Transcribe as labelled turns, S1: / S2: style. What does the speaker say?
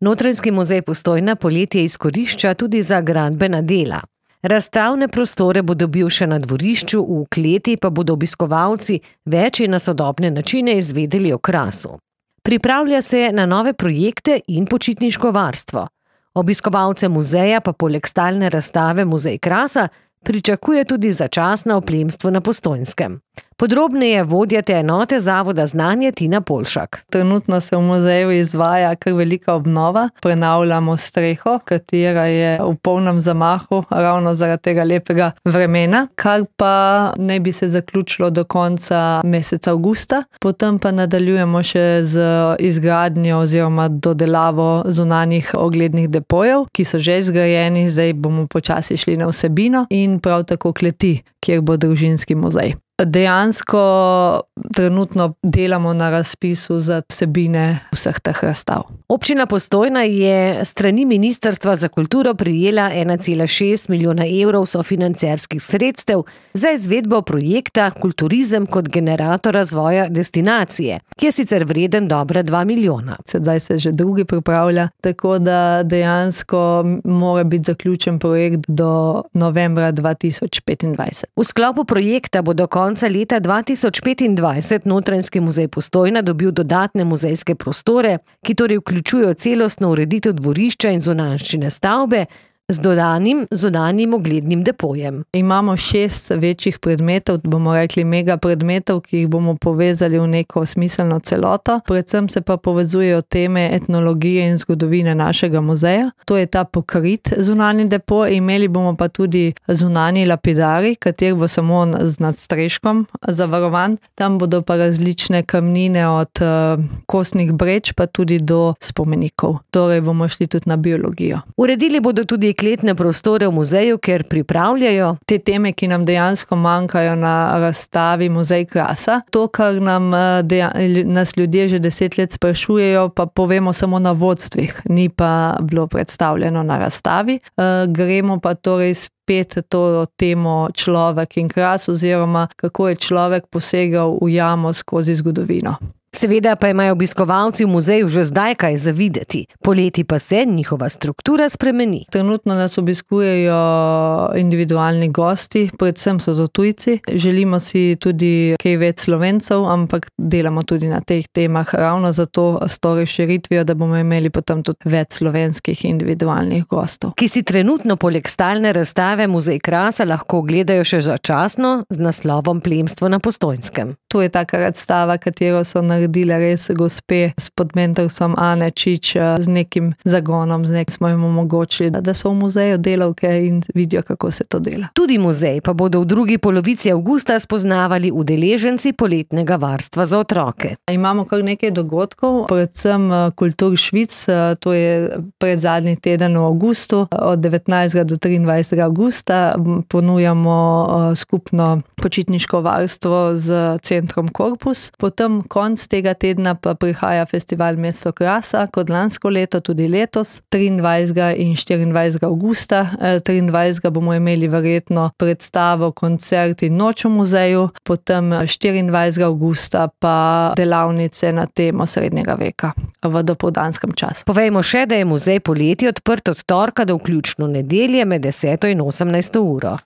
S1: Notranjski muzej Postojna poletje izkorišča tudi za gradbena dela. Razstavne prostore bo dobil še na dvorišču, v kleti pa bodo obiskovalci več in na sodobne načine izvedeli o krasu. Pripravlja se na nove projekte in počitniško varstvo. Obiskovalce muzeja pa poleg stalne razstave Muzej krasa pričakuje tudi začasno oplemstvo na Postojnskem. Podrobneje vodja te enote Zavoda Znanje Tina Polšak.
S2: Trenutno se v muzeju izvaja kar velika obnova. Prenavljamo streho, katera je v polnem zamahu ravno zaradi tega lepega vremena, kar pa ne bi se zaključilo do konca meseca avgusta. Potem pa nadaljujemo še z izgradnjo oziroma dodelavo zunanjih oglednih depojev, ki so že zgrajeni, zdaj bomo počasi šli na vsebino, in prav tako kleti, kjer bo družinski muzej. Dejansko trenutno delamo na razpisu za vsebine vseh teh razstav.
S1: Občina Postojna je strani Ministrstva za kulturo prejela 1,6 milijona evrov sofinancerskih sredstev za izvedbo projekta Kulturizem kot generator razvoja destinacije, ki je sicer vreden dobra 2 milijona.
S2: Sedaj se že drugi pripravlja, tako da dejansko mora biti zaključen projekt do novembra 2025.
S1: V sklopu projekta bo do konca leta 2025 Notranjski muzej Postojna dobil dodatne muzejske prostore, ki torej vključujejo celostno ureditev dvorišča in zunanjščine stavbe z dodanim zunanjim oglednim depojem.
S2: Imamo 6 večjih predmetov, bomo rekli mega predmetov, ki jih bomo povezali v neko smiselno celoto. Predvsem se pa povezujejo teme etnologije in zgodovine našega muzeja. To je ta pokrit zunanji depo, imeli bomo pa tudi zunanji lapidari, kater bo samo z nadstreškom zavarovan. Tam bodo pa različne kamnine od kostnih breč pa tudi do spomenikov. Torej bomo šli tudi na biologijo.
S1: Uredili bodo tudi kletne prostore v muzeju, ker pripravljajo
S2: te teme, ki nam dejansko manjkajo na razstavi Muzej krasa. To, kar nas ljudje že 10 let sprašujejo, pa povemo samo na vodstvih, ni pa bilo predstavljeno na razstavi. Gremo pa torej spet to temo človek in kras, oziroma kako je človek posegal v jamo skozi zgodovino.
S1: Seveda pa imajo obiskovalci v muzeju že zdaj kaj za videti. Poleti pa se njihova struktura spremeni.
S2: Trenutno nas obiskujejo individualni gosti, predvsem so to tujci. Želimo si tudi kaj več Slovencev, ampak delamo tudi na teh temah ravno zato s to razširitvijo, da bomo imeli potem tudi več slovenskih individualnih gostov.
S1: Ki si trenutno poleg stalne razstave Muzej krasa lahko gledajo še začasno z naslovom Plemstvo na Postojnskem.
S2: To je taka razstava, katero so naredile res gospe s podmentorstvom Ane Čič, z nekim zagonom, smo jim omogočili, da so v muzeju delavke in vidijo, kako se to dela.
S1: Tudi muzej pa bodo v drugi polovici avgusta spoznavali udeleženci poletnega varstva za otroke.
S2: Imamo kar nekaj dogodkov, predvsem Kultur Švic, to je predzadnji teden v avgustu, od 19. do 23. avgusta ponujamo skupno počitniško varstvo z centrom Korpus. Potem konc tega tedna pa prihaja festival Mesto krasa, kot lansko leto, tudi letos, 23. in 24. avgusta. 23. bomo imeli verjetno predstavo, koncert in noč v muzeju, potem 24. avgusta pa delavnice na temo srednjega veka v dopoldanskem času.
S1: Povejmo še, da je muzej poleti odprt od torka do vključno nedelje med 10. in 18. uro.